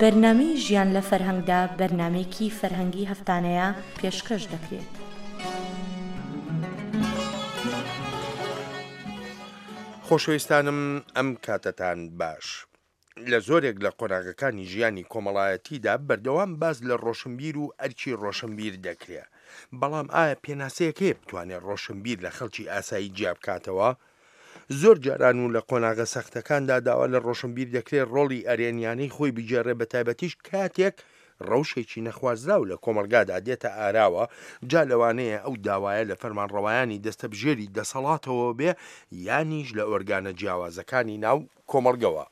بەرنامەی ژیان لە فەرهەنگدا بەرنامەیەکی فەرهەنگی هەفتانەیە پێشکەش دەکرێت. خۆشەویستانم ئەم کاتەتان باش. لە زۆرێک لە قۆناغەکانی ژیانی کۆمەڵایەتیدا بەردەوام باس لە ڕۆشنبیر و ئەرکی ڕۆشنبیر دەکرێ. بەڵام ئایا پێناسەیەک هەیە بتوانێ ڕۆشنبیر لە خەڵکی ئاسایی جیا بکاتەوە؟ زۆر جاران و لە قۆناغە سەختەکاندا داوا لە ڕۆشنبیر دەکرێ ڕۆڵی ئەرێنیانەی خۆی بگێڕێ بەتایبەتیش کاتێک ڕەوشێکی نەخوازراو لە کۆمەڵگادا دێتە ئاراوە، جا لەوانەیە ئەو داوایە لە فەرمانڕەوایانی دەستەبژێری دەسەڵاتەوە بێ یانیش لە ئۆرگانە جیاوازەکانی ناو کۆمەڵگەوە.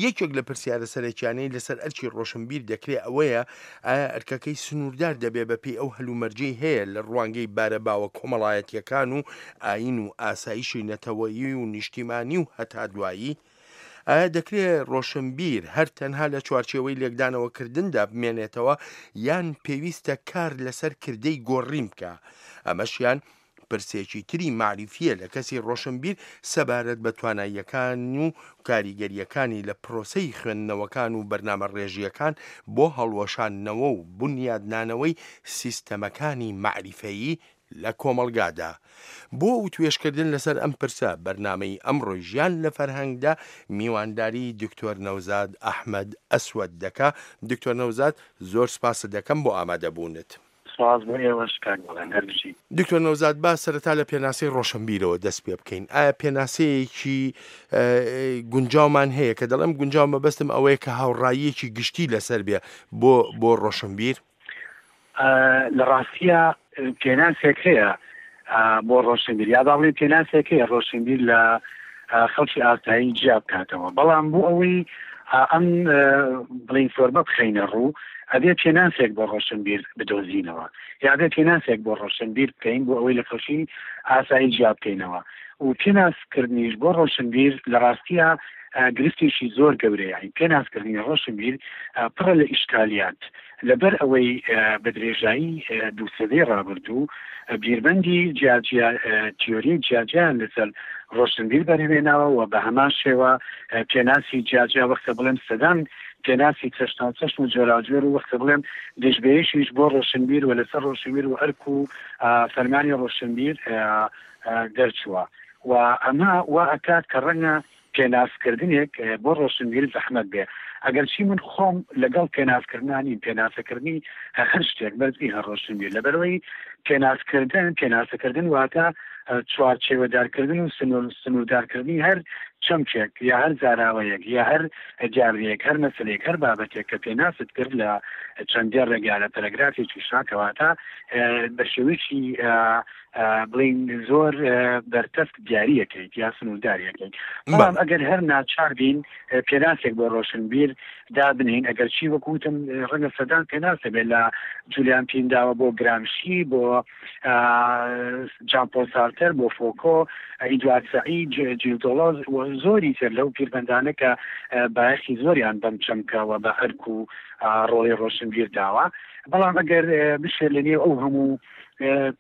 یەکێک لە پرسیارە سەرەکیانەی لەسەر ئەرکی ڕۆشنبیر دەکرێ ئەوەیە ئایا ئەرکەکەی سنووردار دەبێ بەپێی ئەو هەلومەرجەی هەیە لە ڕوانگەی بارە باوە کۆمەڵایەتییەکان و ئایین و ئاسایشی نەتەوەیی و نیشتیمانی و هەتا دوایی؟ ئایا دەکرێ ڕۆشنبیر هەر تەنها لە چوارچێوەی لێکدانەوەکردندا بمێنێتەوە یان پێویستە کار لەسەر کردەی گۆڕین بکا؟ ئەمەشیان پرسێکی تری مەعریفییە لە کەسی ڕۆشنبیر سەبارەت بە تواناییەکان و کاریگەرییەکانی لە پرۆسەی خوێندنەوەکان و بەرنامەڕێژییەکان بۆ هەڵوەشاندنەوە و بونیادنانەوەی سیستەمەکانی مەعریفەیی لە کۆمەڵگادا. بۆ وتوێژکردن لەسەر ئەم پرسە، بەرنامەی ئەمڕۆی ژیان لە فەرهەنگدا میوانداری دکتۆر نەوزاد ئەحمەد ئەسوەد دەکا. دکتۆر نەوزاد زۆر سپاست دەکەم بۆ ئامادەبوونت. سپاس بۆ ئێوەش کاک بەڵێن، هەر بژین. دکتۆر نەوزاد با سەرەتا لە پێناسەی ڕۆشنبیرەوە دەست پێ بکەین. ئایا پێناسەیەکی گونجاومان هەیە؟ کە دەڵێم گونجاو مەبەستم ئەوەیە کە هاوڕاییەکی گشتی لەسەر بێ بۆ بۆ ڕۆشنبیر؟ لە ڕاستییا پێناسێک هەیە بۆ ڕۆشنبیر یا با بڵێین پێناسێک هەیە ڕۆشنبیر لە خەڵکی ئاسایی جیا بکاتەوە بەڵام بۆ ئەوەی ئەم بڵین فۆرمە بخەینە ڕوو ئەبێ پێناسێک بۆ ڕۆشنبیر بدۆزینەوە یا بێ پێناسێک بۆ ڕۆشنبیر بکەین بۆ ئەوەی لە خەڵکی ئاسایی جیا بکەینەوە و پێناسکردنیش بۆ ڕۆشنبیر لە ڕاستیە گرفتێکی زۆر گەورەیە پێناسکردنی ڕۆشنبیر پڕە لە ئیشکالیات لەبەر ئەوەی بە درێژایی دوو سەدەی ڕابردوو بیرمەندی جیاجیا تیۆری جیاجیایان لەسەر ڕۆشنبیر بەرهەمێناوە و بە هەمان شێوە پێناسی جیاجیا وەختە بڵێم سەدان پێناسی چەشناوچەشن و جۆراوجۆر و وەختە بڵێم دژبەیەکیش بۆ ڕۆشنبیر و لەسەر ڕۆشنبیر و ئەرک و فەرمانی ڕۆشنبیر دەرچووە و ئەمە وا ئەکات کە ڕەنگە پێناسکردنێک بۆ ڕۆشنبیر زەحمەت بێ. ئەگەرچی من خۆم لەگەڵ پێناسکردنا نیم، پێناسەکردنی هەر شتێک بەس نییە هەر ڕۆشنبیر، لەبەرئەوەی پێناسکردن، پێناسەکردن واتە چوارچێوەدارکردن و سنووردارکردنی هەر چەمکێک یا هەر زاراوەیەک یا هەر دیاردەیەک، هەر مەسەلەیەک، هەر بابەتێک کە پێناست کرد لە چەند دێڕێک یا لە پەرەگرافێکیشا، کەواتە بە شێوەیەکی بڵێین زۆر بەرتەسک دیاریەکەیت یا سنوورداریەکەیت بەڵام ئەگەر هەر ناچار بین پێناسێک بۆ ڕۆشنبیر دابنین ئەگەر چی وەکوتم ڕەنگە سەدان پێناسە بێت لە جولیان پینداوە بۆ گرامشی بۆ جان پۆل سارتەر بۆ فۆکۆ ئیدوارد سەعید جیل دۆڵۆز و زۆری تر لەو پیربەندانە کە بایەخی زۆریان بەم چەمکەوە بە ئەرک و ڕۆڵی ڕۆشنبیر داوە بەڵام ئەگەر بشێت لە نێو ئەو هەموو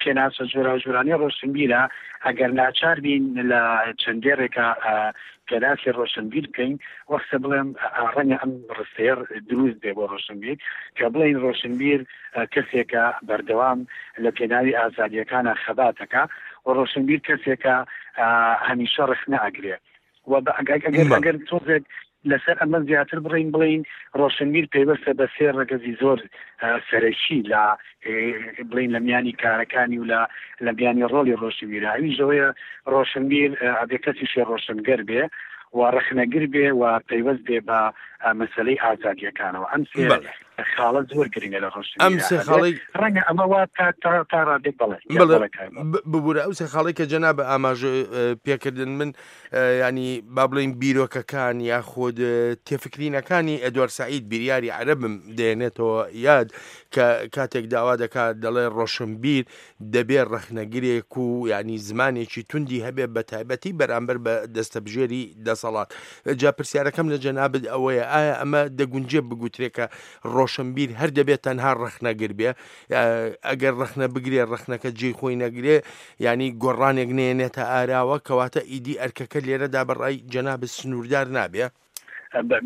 پێناسە جۆراوجۆرانەی ڕۆشنبیرە، ئەگەر ناچار بین لە چەند دێڕێکا پێناسی ڕۆشنبیر بکەین، وەختە بڵێم ڕەنگە ئەم ڕستەیە دروست بێ بۆ ڕۆشنبیر، کە بڵێین ڕۆشنبیر کەسێکە بەردەوام لە پێناوی ئازادییەکانا خەبات ئەکا و ڕۆشنبیر کەسێکە هەمیشە ڕەخنە ئەگرێ. و ئەگەر ئەگەر تۆزێک لەسەر ئەمە زیاتر بڕین بڵین ڕۆشنبیر پەیوەستە بە سێ ڕەگەزی زۆر سەرەکی لە بڵین لە میانی کارەکانی و لە لە میانی ڕۆڵی ڕۆشنبیر ئەویش ئەوەیە ڕۆشنبیر ئەبێ کەسیشی ڕۆشنگەر بێ و ڕەخنەگر بێ و پەیوەست بێ بە مەسەلەی ئازادیەکانەوە ئەم سێ خاڵە زۆر گرنگە لە ڕۆشنبیرا ئەم سێ خاڵەی ڕەنگە ئەمە وا تا تا تا ڕادێک بەڵێ بەڵێ ببورە ئەو سێ خاڵی کە جەناب ئاماژە پێکردن من ینی با بڵین بیرۆکەکان یاخود تێفکرینەکانی ئەدوار سعید بیریاری عەرەبم دێنێتەوە یاد کە کاتێک داوا دەکات دەڵێ ڕۆشنبیر دەبێ ڕەخنەگرێک و یانی زمانێکی توندی هەبێ بە تایبەتی بەرامبەر بە دەستەبژێری دەسەڵات. جا پرسیارەکەم لە جەنابت ئەوەیە ئایا ئەمە دەگونجێ بگوترێ کە ڕۆشنبیر هەر دەبێت تەنها ڕەخنەگر بێ؟ ئەگەر ڕەخنە بگرێ ڕەخنەکە جێی خۆی نەگرێ یانی گۆڕانێک نێنێتە ئاراوە کەواتە ئیدی ئەرکەکە لێرەدا بە ڕای جەنابت سنووردار نابێ؟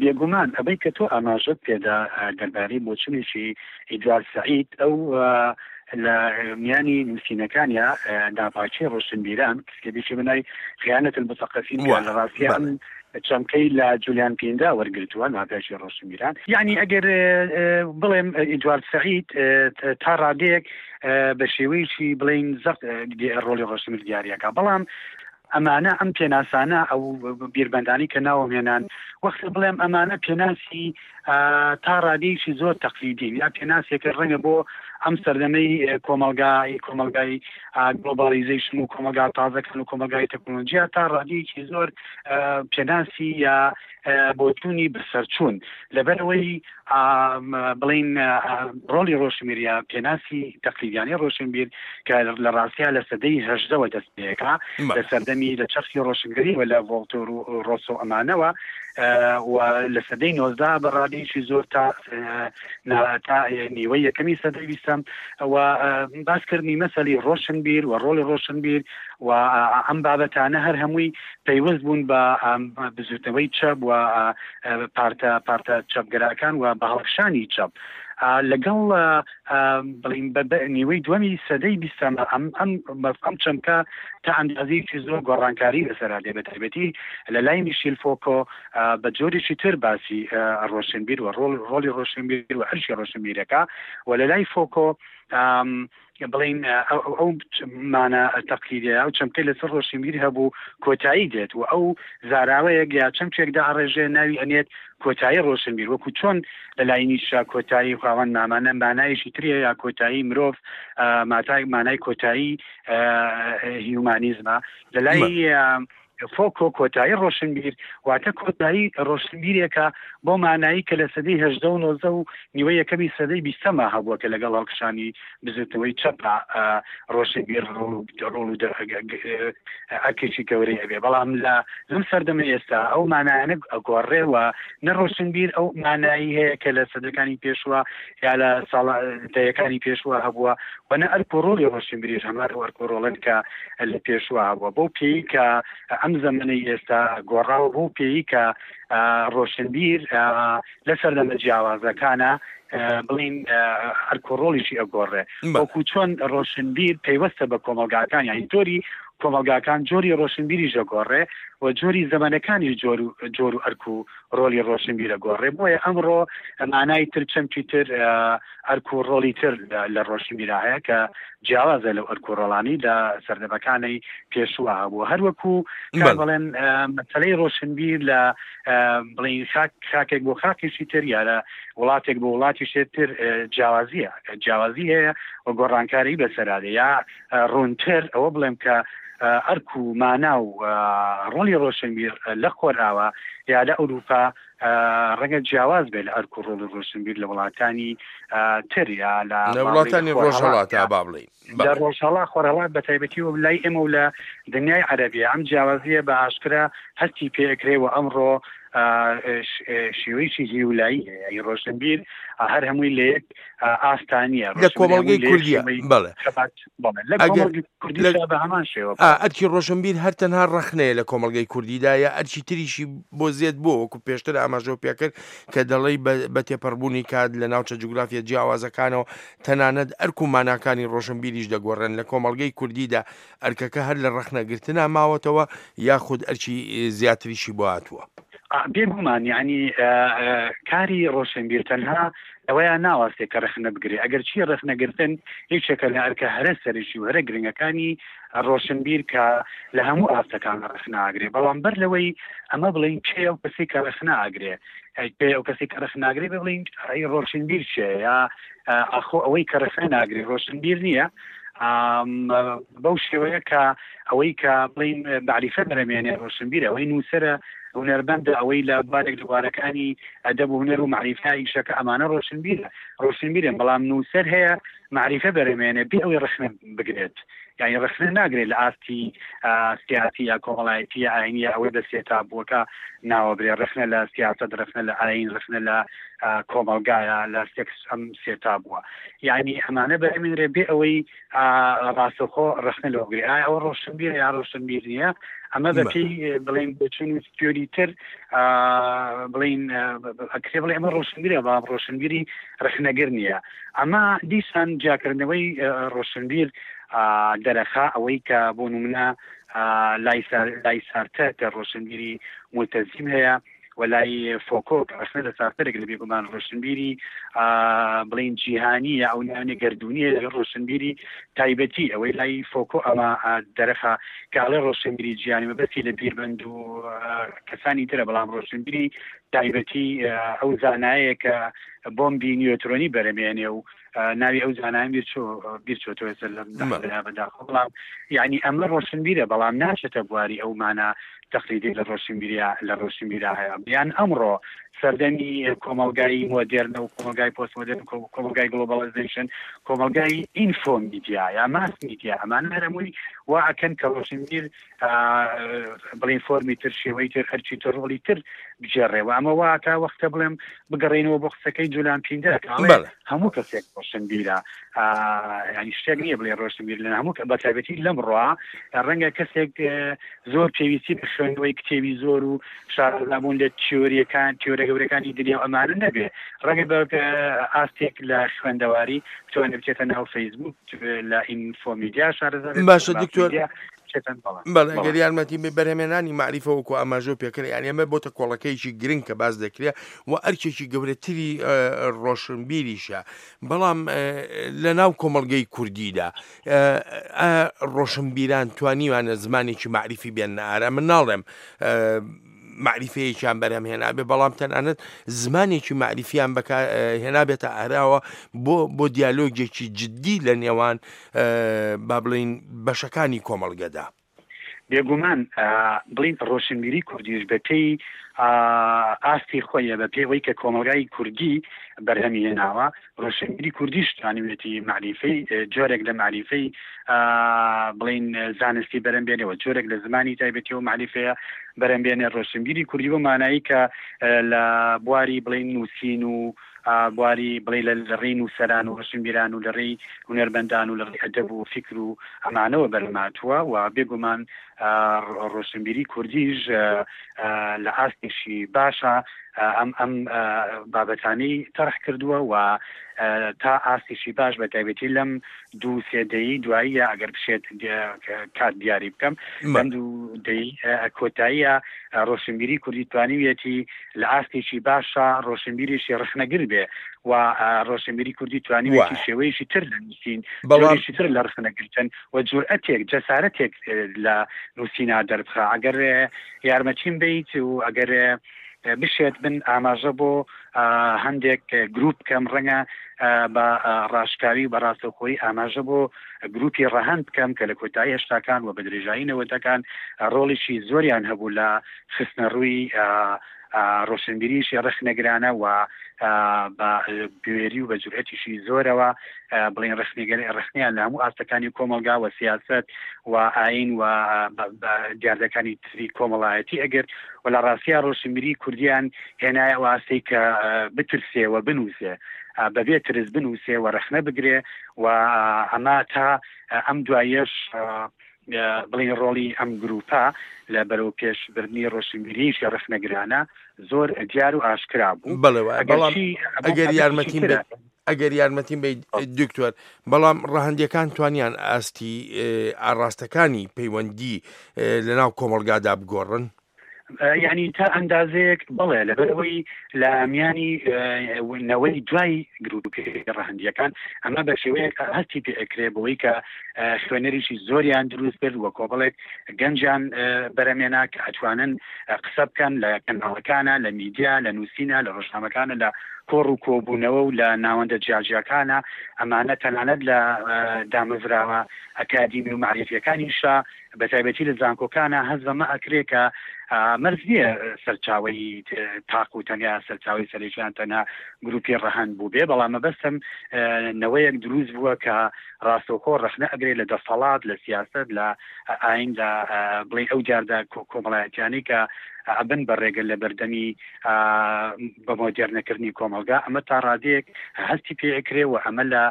بێگومان ئەوەی کە تۆ ئاماژەت پێدا دەربارەی بۆچونێکی ئیدوارد سەعید، ئەو لە میانی نووسینەکانیا ناپاکی ڕۆشنبیران کتێبێکی بە ناوی خیانەت المثقفین کە لە ڕاستیا ئەم چەمکەی لە جولیان پیندا وەرگرتووە، ناپاکی ڕۆشنبیران. یەعنی ئەگەر بڵێم ئیدوارد سەعید تا ڕادەیەک بە شێوەیەکی بڵێین زەق ڕۆڵی ڕۆشنبیر دیاریەکا، بەڵام ئەمانە ئەم پێناسانە ئەو بیرمەندانی کە ناوم هێنان وەختە بڵێم ئەمانە پێناسی تا ڕادەیەکی زۆر تەقلیدین یا پێناسێکە ڕەنگە بۆ ئەم سەردەمەی کۆمەلگای کۆمەلگای گلۆبالیزیشن و کۆمەلگا تازەکان و کۆمەلگای تەکنۆلۆژیا تا ڕادەیەکی زۆر پێناسی یا بۆچوونی بەسەرچوون لەبەرئەوەی بڵین ڕۆڵی ڕۆشنبیر یا پێناسی تەقلیدیانەی ڕۆشنبیر کە لە ڕاستیا لە سەدەی هەژدەوە دەست پێکا لە سەردەمی لە چەرخی ڕۆشنگەریەوە لە ڤۆڵتۆر و ڕۆسۆ ئەمانەوە و لە سەدەی نۆزدا بە ڕادەیەکی زۆر تا تا نیوەی یەکەمی سەدەی بیستەم و باسکردنی مەسەلی ڕۆشنبیر و ڕۆڵی ڕۆشنبیر و ئەم بابەتانە هەر هەمووی پەیوەست بوون بە بزوتنەوەی چەپ و پارتە پارتە چەپگەراکان و بە هەڵکشانی چەپ لەگەڵ بڵین بە نیوەی دووەمی سەدەی بیستەم ئەم ئەم ئەم چەمکە تا ئەندازەیەکی زۆر گۆڕانکاری بەسەرا دێ بە تایبەتی لە لای میشیل فۆکۆ بە جۆرێکی تر باسی ڕۆشنبیر و ڕۆڵ ڕۆڵی ڕۆشنبیر و ئەرکی ڕۆشنبیرەکە و لە لای فۆکۆ بڵێین ئەو مانا تەقلیدیە ئەو چەمکەی لەسەر ڕۆشنبیر هەبوو کۆتایی دێت و ئەو زاراوەیەک یا چەمکێک داڕێژێ ناوی ئەنێت کۆتایی ڕۆشنبیر وەکو چۆن لە لای نیچە کۆتایی خاوەن مامانە مانایەکی تریە یا کۆتایی مرۆڤ ماتای مانای کۆتایی هیومانیزمە لە لای فۆکۆ کۆتایی ڕۆشنبیر واتە کۆتایی ڕۆشنبیرێکە بۆ مانایی کە لە سەدەی 18 و 19 و نیوەی یەکەمی سەدەی بیستەما هەبووە کە لەگەڵ هەڵکشانی بزوتنەوەی چەپا ڕۆشنبیر ڕۆڵ و ئەرکێکی گەورەی ئەبێ بەڵام لە لەم سەردەمە ئێستا ئەو مانایانە ئەگۆڕێ و نە ڕۆشنبیر ئەو مانایی هەیە کە لە سەدەکانی پێشوە یا لە ساڵە دەیەکانی پێشوە هەبووە و نە ئەرک و ڕۆڵی ڕۆشنبیریش هەمان ئەو ئەرک و ڕۆڵەن کە لە پێشوە هەبووە بەو پێی کە ئەم زەمەنەی ئێستا گۆڕاوە بەو پێی کە ڕۆشنبیر لە سەردەمە جیاوازەکانە بڵین ئەرک و ڕۆڵیشی ئەگۆڕێ وەکو چۆن ڕۆشنبیر پەیوەستە بە کۆمەڵگاکان یانی جۆری کۆمەڵگاکان جۆری ڕۆشنبیریش ئەگۆڕێ و جۆری زەمەنەکانیش جۆر و جۆر و ئەرک و ڕۆلی ڕۆشنبیر ئەگۆڕێ بۆیە ئەمڕۆ مانای تر چەمکی تر ئەرک و ڕۆڵی تر لە ڕۆشنبیرا هەیە کە جیاوازە لەو ئەرک و ڕۆڵانەی لە سەردەمەکانی پێشووە هەبوو هەروەکو کاک بەڵێن مەسەلەی ڕۆشنبیر لە بڵین خاک خاکێک بۆ خاکێکی تر یا لە وڵاتێک بۆ وڵاتیشێ تر جیاوازیە جیاوازی هەیە و گۆڕانکاری بەسەرادێ یا ڕوونتر ئەوە بڵێم کە ئەرک و مانا و ڕۆڵی ڕۆشنبیر لە خۆرئاوا یا لە ئەوروپا ڕەنگە جیاواز بێت لە ئەرک و ڕۆڵی ڕۆشنبیر لە وڵاتانی تر یا لە وڵاتانی ڕۆژهەڵات با بڵێین لە ڕۆژهەڵا خۆرهەڵات بە تایبەتی و لای ئێمە و لە دنیای عەرەبیە ئەم جیاوازیە بە ئاشکرا هەستی پێ ئەکرێ و ئەمڕۆ شێوەیەکی هیولایی هەیە ی ڕۆشنبیر هەر هەمووی لە یەک ئاستا نییە لە کۆمەڵگەی کوردیە بەڵێ ئەرکی ڕۆشنبیر هەر تەنها ڕەخنەیە لە کۆمەڵگەی کوردیدا یا ئەرکی تریشی بۆ زێد بووە وەکو پێشتر ئاماژەو پێکرد کە دەڵێی بە تێپەڕبوونی کات لە ناوچە جوگرافیە جیاوازەکانەوە تەنانەت ئەرک و ماناکانی ڕۆشنبیریش دەگۆڕێن لە کۆمەڵگەی کوردیدا ئەرکەکە هەر لە ڕەخنەگرتنا ماوەتەوە یاخود ئەرکی زیاتریشی بۆ هاتووە؟ بێگومان یانی کاری ڕۆشنبیر تەنها لەوەیا ناوەستێ کە ڕەخنە بگرێ، ئەگەرچی ڕەخنەگرتن یەکێکە لە ئەرکە هەرە سەرەکی و هەرە گرنگەکانی ڕۆشنبیر کە لە هەموو ئاستەکان ڕەخنە ئەگرێ، بەڵام بەر لەوەی ئەمە بڵێین کێ ئەو کەسەی کە ڕەخنە ئەگرێ، کێ ئەو کەسەی کە ڕەخنە ئەگرێ بێ بڵێین ئەی ڕۆشنبیر کێیە یا ئاخۆ ئەوەی کە ڕەخنە ناگرێ ڕۆشنبیر نییە؟ بەو شێوەیە کە ئەوەی کە بڵێین مەعریفە بەرەمێنێ ڕۆشنبیرە، ئەوەی نووسەرە هونەرمەندە، ئەوەی لە بوارێک لە بوارەکانی ئەدەب و هونەر و مەعریفە ئیشەکە ئەمانە ڕۆشنبیرە ڕۆشنبیرن، بەڵام نووسەر هەیە مەعریفە بەرهەمێنێ بێ ئەوەی ڕەخنە بگرێت یانی ڕەخنە ناگرێت لە ئاستی سیاسی یا کۆمەڵایەتی یا ئاینی یا ئەوەی بە سێ تابووەکە ناوە برێ ڕەخنە لە سیاسەت ڕەخنە لە ئاین ڕەخنە لە کۆمەڵگایە لە سێکس ئەم سێ تابووە یعنی ئەمانە بەرهەمێنرێ بێ ئەوەی ڕاستەوخۆ ڕەخنە لەوە بگرێ ئایا ئەوە ڕۆشنبیرە یا ڕۆشنبیر نییە ئەمە بەپێی بڵێن بۆچوون و تیۆری تر بڵین ئەکرێ بڵێ ئەمە ڕۆشنبیرە بەڵام ڕۆشنبیری ڕەخنەگر نییە ئەمە دیسان جیاکردنەوەی ڕۆشنبیر دەرەخا ئەوەی کە بۆ نمونە لای سارتەر کە ڕۆشنبیری ملتەزیم هەیە و لای فۆکۆ کە ڕەخنە لە سارتەرێک لە بێگومان ڕۆشنبیری بڵین جیهانی یا ئەو ناوێ گردردونیە لە ڕۆشنبیری تایبەتی ئەوەی لای فۆکۆ ئەمە دەرەخا کاڵێ ڕۆشنبیری جیهانی مەبەستی لە بیربند و کەسانی ترە بەڵام ڕۆشنبیری تایبەتی ئەو زانایە کە بۆمبی نیۆترۆنی بەرەمێنێ و ناوی ئەو زانایان بیرچۆتەوە ئێستا لەم دەقەیە بەداخەوە بەڵام یعنی ئەمە ڕۆشنبیرە بەڵام ناچێتە بواری ئەو مانا تەقلیدی لە ڕۆشنبیریا لە ڕۆشنبیرا هەیە یان ئەمڕۆ سەردەمی کۆمەڵگای مۆدێرنە و کۆمەڵگای پۆست مۆدێرن کۆمەڵگای گلۆبالیزەیشن کۆمەڵگای ئینفۆ میدیا یا ماس میدیا ئەمانە هەرەمووی وا ئەکەن کە ڕۆشنبیر بڵین فۆرمی تر شێوەی تر هەرچی تر ڕۆڵی تر بگێڕێ و ئەمە وا تا وەختە بڵێم بگەڕێینەوە بۆ قسەکەی جولان پیندەر کە ئەڵێ بەڵێ. هەموو کەسێک ڕۆشنبیرە ینی شتێک نییە بڵێ ڕۆشنبیر لە هەموو بە تایبەتی لەم ڕوا ڕەنگە کەسێک زۆر پێویستی بە خوێندنەوەی کتێبی زۆر و شارەزابوون لە تیۆریەکان تیۆرە گەورەکانی دنیا و ئەمانە نەبێ ڕەنگە بە ئاستێک لە خوێندەواری بتوانێت بچێتە ناو فەیسبوک لە ئینفۆمیدیا شارەزا بێت باشە لە دکتۆر ماسمیدیا بچێتە بەڵێ بەڵێ بەڵێ گەر یارمەتی بێ بەرهەمێنانی مەعریفە وەکو ئاماژەو پێکرد یانی ئەمە بۆتە کۆڵەکەیەکی گرنگ کە باس دەکرێ و ئەرکێکی گەورەتری ڕۆشنبیریشە بەڵام لە ناو کۆمەڵگەی کوردیدا ئایا ڕۆشنبیران توانیوانە زمانێکی مەعریفی بێننە ئارا من ناڵێم مەعریفەیەکیان بەرهەم هێنابێ بەڵام تەنانەت زمانێکی مەعریفیان بەکار هێنابێتە ئاراوە بۆ بۆ دیالۆگێکی جددی لە نێوان با بڵین بەشەکانی کۆمەڵگەدا. بێگومان بڵین ڕۆشنبیری کوردیش بە پێی ئاستی خۆیە بە پێی ئەوەی کە کۆمەڵگای کوردی بەرهەمی هێناوە ڕۆشنبیری کوردیش توانیویەتی مەعریفەی جۆرێک لە مەعریفەی بڵین زانستی بەرەم بێنێ و جۆرێک لە زمانی تایبەتی و مەعریفەیە بەرەم بێنێ ڕۆشنبیری کوردی بۆ مانایی کە لە بواری بڵین نووسین و بواری بڵێ لە ڕێی نووسەران و ڕۆشنبیران و لە ڕێی هونەرمەندان و لە ڕێی ئەدەب و فیکر و ئەمانەوە بەرهەمهاتووە و بێگومان ڕۆشنبیری کوردیش لە ئاستێکی باشە ئەم ئەم بابەتانەی تەرح کردووە و تا ئاستێکی باش بە تایبەتی لەم دوو سێ دەیەی دواییە ئەگەر بشێت کات دیاری بکەم لەم دوو دەیەی کۆتاییە ڕۆشنبیری کوردی توانیویەتی لە ئاستێکی باشە ڕۆشنبیرێکی ڕەخنەگر بێ و ڕۆشنبیری کوردی توانیویەتی شێوەیەکی تر لە نووسین بەڵام جۆرێکی تر لە ڕەخنەگرتن و جورئەتێک جەسارەتێک لە نووسینا دەربخا ئەگەر یارمەتیم بیت و ئەگەر بشێت من ئاماژە بۆ هەندێک گروپ بکەم ڕەنگە بە ڕاشکاوی و بە ڕاستەوخۆیی ئاماژە بۆ گروپی ڕەهەند بکەم کە لە کۆتایی هەشتاکان و بە درێژایی نەوەدەکان ڕۆڵیکی زۆریان هەبوو لە خستنەڕووی ڕۆشنبیریی ڕەخنەگرانە و بە بوێری و بە جورئەتیشی زۆرەوە بڵێن ڕەخنەگەر ڕەخنەیان لە هەموو ئاستەکانی کۆمەڵگا و سیاسەت و ئایین و دیاردەکانی تری کۆمەڵایەتی ئەگرت و لە ڕاستیا ڕۆشنبیری کوردیان هێنایە ئەو ئاستەی کە بترسێ و بنووسێ بەبێ ترس بنووسێ و ڕەخنە بگرێ و ئەمە تا ئەم دواییەش بڵێین ڕۆڵی ئەم گرووپە لە بەرەوپێش بردنی ڕۆشنبیریی ڕەخنەگرانە زۆر دیار و ئاشکرا بوو. بەڵێ وایە، بەڵام ئەگەرچی ئەمە ئەگەر بابەتێکی یارمەتیم ترە. بەیت ئەگەر یارمەتیم بەیت دکتۆر، بەڵام ڕەهەندییەکان توانیان ئاستی ئاڕاستەکانی پەیوەندی لەناو کۆمەڵگادا بگۆڕن؟ یعنی تا ئەندازەیەک بەڵێ لەبەرئەوەی لە میانی نەوەی دوای گروپی ڕەهەندییەکان ئەمە بە شێوەیەک هەستی پێ ئەکرێ بەوەی کە خوێنەریی زۆریان دروست کرد و کۆمەڵێک گەنجیان بەرەمێنا کە ئەتوانن قسە بکەن لە کەناڵەکانە لە میدیا لە نووسینە لە ڕۆژنامەکانە لە کۆڕ و کۆبوونەوە و لە ناوەندە جیاجیاکانە ئەمانە تەنانەت لە دامەزراوە ئەکادیمی و مەعریفیەکانیشا. بە تایبەتی لە زانکۆکانە هەست بەمە ئەکرێ کە مەرج نییە سەرچاوەی تاق و تەنیا سەرچاوی سەرەکیان تەنها گروپی ڕەهەند بوو بێ، بەڵام مەبەستم نەوەیەک دروست بووە کە ڕاستەوخۆ ڕەخنە ئەگرێ لە دەسەڵات، لە سیاسەت، لە ئاین، لە بڵێین ئەو دیاردە کۆمەڵایەتیانەی کە ئەبن بە ڕێگە لە بەردەمی بە مۆدێرنەکردنی کۆمەڵگا. ئەمە تا ڕادەیەک هەستی پێ ئەکرێ و ئەمە لە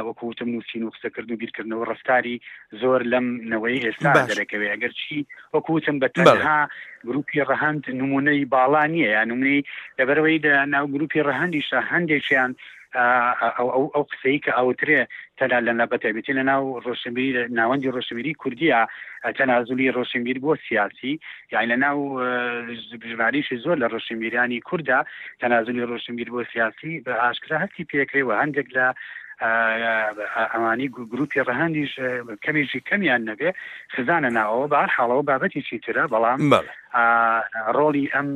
وەکو وتم نووسین و قسەکردن و بیرکردنەوە ڕەفتاری زۆر لەم نەوەی ئێستا دەرەکەوێ، ئەگەرچی وەکو وتم بە تەنها گروپی ڕەهەند نمونەی باڵا نییە یا نمونەی، لەبەرەوەی لە ناو گروپی ڕەهەندیشە هەندێکیان ئەو قسەی کە ئەوترێ تەنها لە بەتایبەتی لە ناو ڕۆشنبیری ناوەندی ڕۆشنبیری کوردیە تەنازولی ڕۆشنبیر بۆ سیاسی، یانی لە ناو ژمارەیەکی زۆر لە ڕۆشنبیرانی کوردە تەنازولی ڕۆشنبیر بۆ سیاسی بە ئاشکرا هەستی پێکرێ و هەندێک لە ئەوانی گروپی ڕەهەندیش کەمێکی کەمیان نەبێ خزانە ناوەوە. بە هەر حاڵەوە بابەتێکی ترە، بەڵام ڕۆڵی ئەم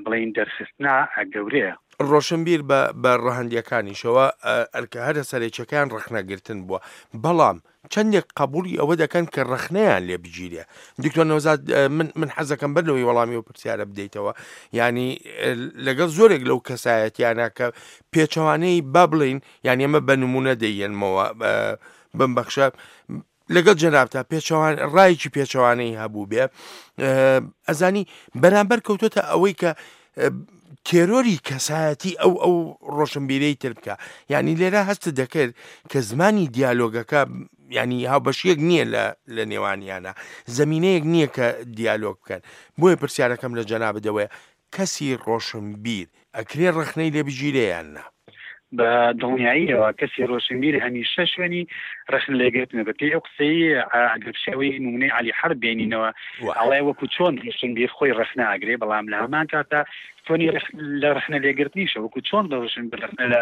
بڵێین دەرخستنە گەورەیە. ڕۆشنبیر بە بە ڕەهەندیەکانیشەوە ئەرکە هەرە سەرەکیەکەیان ڕەخنەگرتن بووە، بەڵام چەندێک قەبوڵی ئەوە دەکەن کە ڕەخنەیان لێ بگیرێ؟ دکتۆر نەوزاد، من من حەزەکەم بەر لەوەی وەڵامی ئەو پرسیارە بدەیتەوە، یعنی لەگەڵ زۆرێک لەو کەسایەتیانە کە پێچەوانەی با بڵین، یعنی ئەمە بە نمونە دەیەنمەوە، بمبەخشە، لەگەڵ جەنابتا پێچەوان ڕایەکی پێچەوانەی هەبوو بێ، ئەزانی بەرامبەر کەوتۆتە ئەوەی کە تێرۆری کەسایەتی ئەو ئەو ڕۆشنبیرەی تر بکە. یعنی لێرە هەست دەکرد کە زمانی دیالۆگەکە ینی هاوبەشیەک نییە لە لە نێوانیانە، زمینەیەک نییە کە دیالۆگ بکەن. بۆیە پرسیارەکەم لە جەنابت ئەوەیە کەسی ڕۆشنبیر ئەکرێ ڕەخنەی لێ بگیرێ یان نا؟ بە دڵنیاییەوە کەسی ڕۆشنبیر هەمیشە شوێنی ڕەخنە لێگرتنە. بە پێی ئەو قسەی ئەگەر بشێوەی نمونەی عەلی حەرب بێنینەوە، ئەڵێ وەکو چۆن ڕۆشنبیر خۆی ڕەخنە ئەگرێ، بەڵام لە هەمان کاتا چۆنی لە ڕەخنە لێگرتنیشە، وەکو چۆن ڕۆشنبیر ڕەخنە لە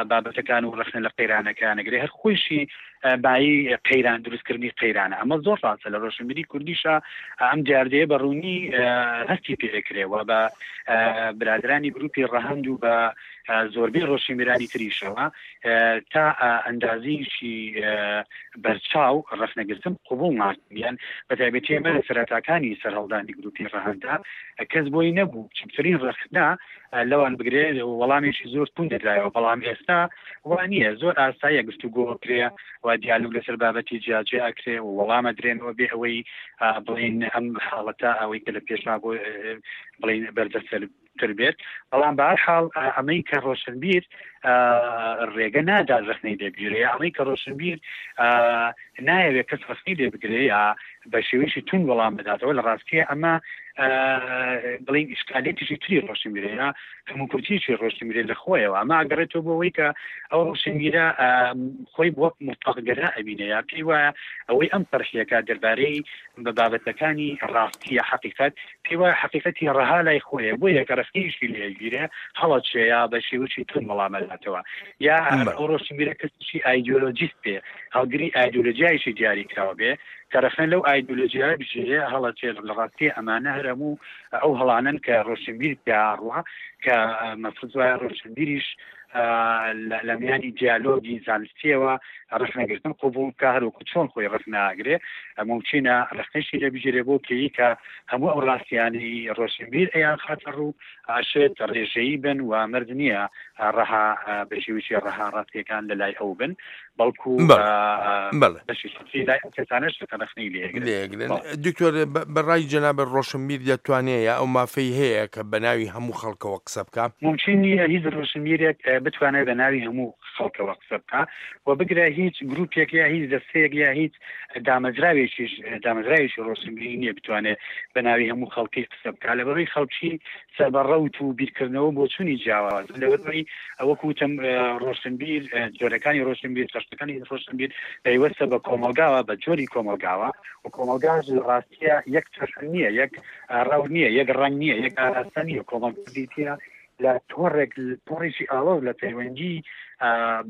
بابەتەکان و ڕەخنە لە قەیرانەکان ئەگرێ، هەر خۆیشی بایی قەیران دروستکردنی قەیرانە. ئەمە زۆر ڕاستە، لە ڕۆشنبیری کوردیشا ئەم دیاردەیە بە ڕوونی هەستی پێ ئەکرێ و بە برادرانی گروپی ڕەهەند و بە زۆربەی ڕۆشنبیرانی تریشەوە تا ئەندازیشی بەرچاو ڕەخنەگرتن قبوڵ ناکەن. بە تایبەتی ئێمە لە سەرەتاکانی سەرهەڵدانی گروپی ڕەهەندا کەس بۆی نەبوو بچووکترین ڕەخنە لەوان بگرێ، وەڵامێکی زۆر توند دەدرایەوە. بەڵام ئێستا وا نییە، زۆر ئاساییە گفتوگۆ ئەکرێ و دیالۆگ لەسەر بابەتی جیاجیا ئەکرێ و وەڵام ئەدرێنەوە بێ ئەوەی بڵێین ئەم حاڵەتە ئەوەی کە لە پێشا بۆ بڵێین بەردەستتر بێت. بەڵام بە هەر حاڵ ئەمەی کە ڕۆشنبیر ڕێگە نادات ڕەخنەی لێ بگیرێ، ئەمەی کە ڕۆشنبیر نایەوێت کەس ڕەخنەی لێ بگرێ یا بە شێوەیەکی توند وەڵام بداتەوە، لە ڕاستیە ئەمە بڵین ئیشکالێتیشی تری ڕۆشنبیرەیە، کەموکورتیی ڕۆشنبیرە لە خۆیەوە. ئەمە ئەگەڕێتەوە بۆ ئەوەی کە ئەو ڕۆشنبیرە خۆی وەک موتڵەقگەرا ئەبینێ یا پێی وایە ئەوەی ئەم پەرشیەکە دەربارەی بە بابەتەکانی ڕاستیە حەقیقەت، پێی وایە حەقیقەتی ڕەها لای خۆیە، بۆیە کە ڕەخنەیشی لێ ئەگیرێ هەڵەچێ یا بە شێوەیەکی توند وەڵام ئەداتەوە. یا ئەو ڕۆشنبیرە کەسێکی ئایدیۆلۆجیست بێ، هەڵگری ئایدیۆلۆجیایەکی دیاریکراو بێ، کە ڕەخنە لەو ئایدیۆلۆجیایە بگیرێ هەڵەچێ. لە ڕاستییا ئەمانە هەر هەموو ئەو هەڵانەن کە ڕۆشنبیر پیا ئەڕوا، کە مەفروز وایە ڕۆشنبیریش لە میانی دیالۆگی زانستیەوە ڕەخنەگرتن قبوڵ بکا، هەروەکو چۆن خۆی ڕەخنە ئەگرێ مومکینە ڕەخنەیشی لێ بگیرێ، بۆ پێی کە هەموو ئەو ڕاستیانەی ڕۆشنبیر ئەیانخاتە ڕوو ئەشێت ڕێژەیی بن و مەرج نییە ڕەها بە شێوەیەکی ڕەها ڕاستیەکان لە لای ئەو بن، بەڵکو بەشێکی تری لای ئەو کەسانەش کە ڕەخنەی لێ ئەگرن. دکتۆر، بە ڕای جەنابت ڕۆشنبیر دەتوانێ یا ئەو مافەی هەیە کە بە ناوی هەموو خەڵکەوە قسە بکا؟ مومکین نییە هیچ ڕۆشنبیرێک بتوانێت بە ناوی هەموو خەڵکەوە قسە بکا و بگرە هیچ گروپێک یا هیچ دەستەیەک یا هیچ دامەزراوێکیش دامەزراوێکی ڕۆشنبیری نییە بتوانێت بە ناوی هەموو خەڵکی قسە بکا، لەبەرئەوەی خەڵکی سەر بە ڕەوت و بیرکردنەوە و بۆچوونی جیاوازن. لەبەرئەوەی وەکو وتم ڕۆشنبیر، جۆرەکانی ڕۆشنبیر، چەشنەکانی ڕۆشنبیر پەیوەستە بە کۆمەڵگاوە، بە جۆری کۆمەڵگاوە و کۆمەڵگاش لە ڕاستییا یەک چەشن نییە، یەک ڕەوت نییە، یەک ڕەنگ نییە، یەک ئاراستە نییە. کۆمەڵگا بریتییە لە تۆڕێک، تۆڕێکی ئاڵۆز لە پەیوەندی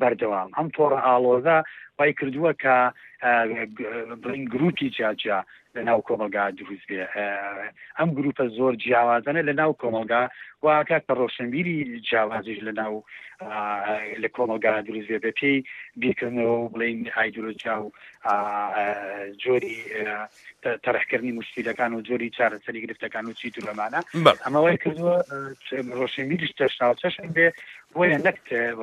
بەردەوام. ئەم تۆڕە ئاڵۆزە وای کردووە کە بڵێین گرووپی جیاجیا لە ناو کۆمەڵگا دروست بێ. ئەم گروپە زۆر جیاوازانە لە ناو کۆمەڵگا واکە کە ڕۆشنبیری جیاوازیش لە ناو لە کۆمەڵگا دروست بێ بە پێی بیرکردنەوە و بڵین ئایدۆلۆژیا و جۆری تەرحکردنی مشکیلەکان و جۆری چارەسەری گرفتەکان و چی ترەمانە ئەمە وای کردووە ڕۆشنبیریش چەشناوچەشن بێ بۆیە نەک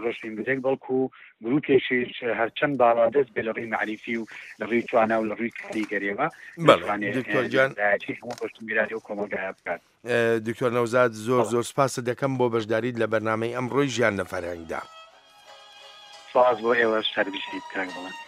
ڕۆشنبیرێک بەڵکو گروپێکیش هەرچەند باڵادەست بێ لە ڕووی مەعریفی و لە ڕووی توانا و لە ڕووی کاریگەریەوە بەڵێ دکتۆر گیان نوێنەرایەتی هەموو ڕۆشنبیرانی ئەو کۆمەڵگایە بکات. دکتۆر نەوزاد زۆر زۆر سپاست دەکەم بۆ بەشداریت لە بەرنامەی ئەمڕۆی ژیان لە فەرهەنگدا. سپاس بۆ ئێوەش هەر بژیت کاک بەڵێن.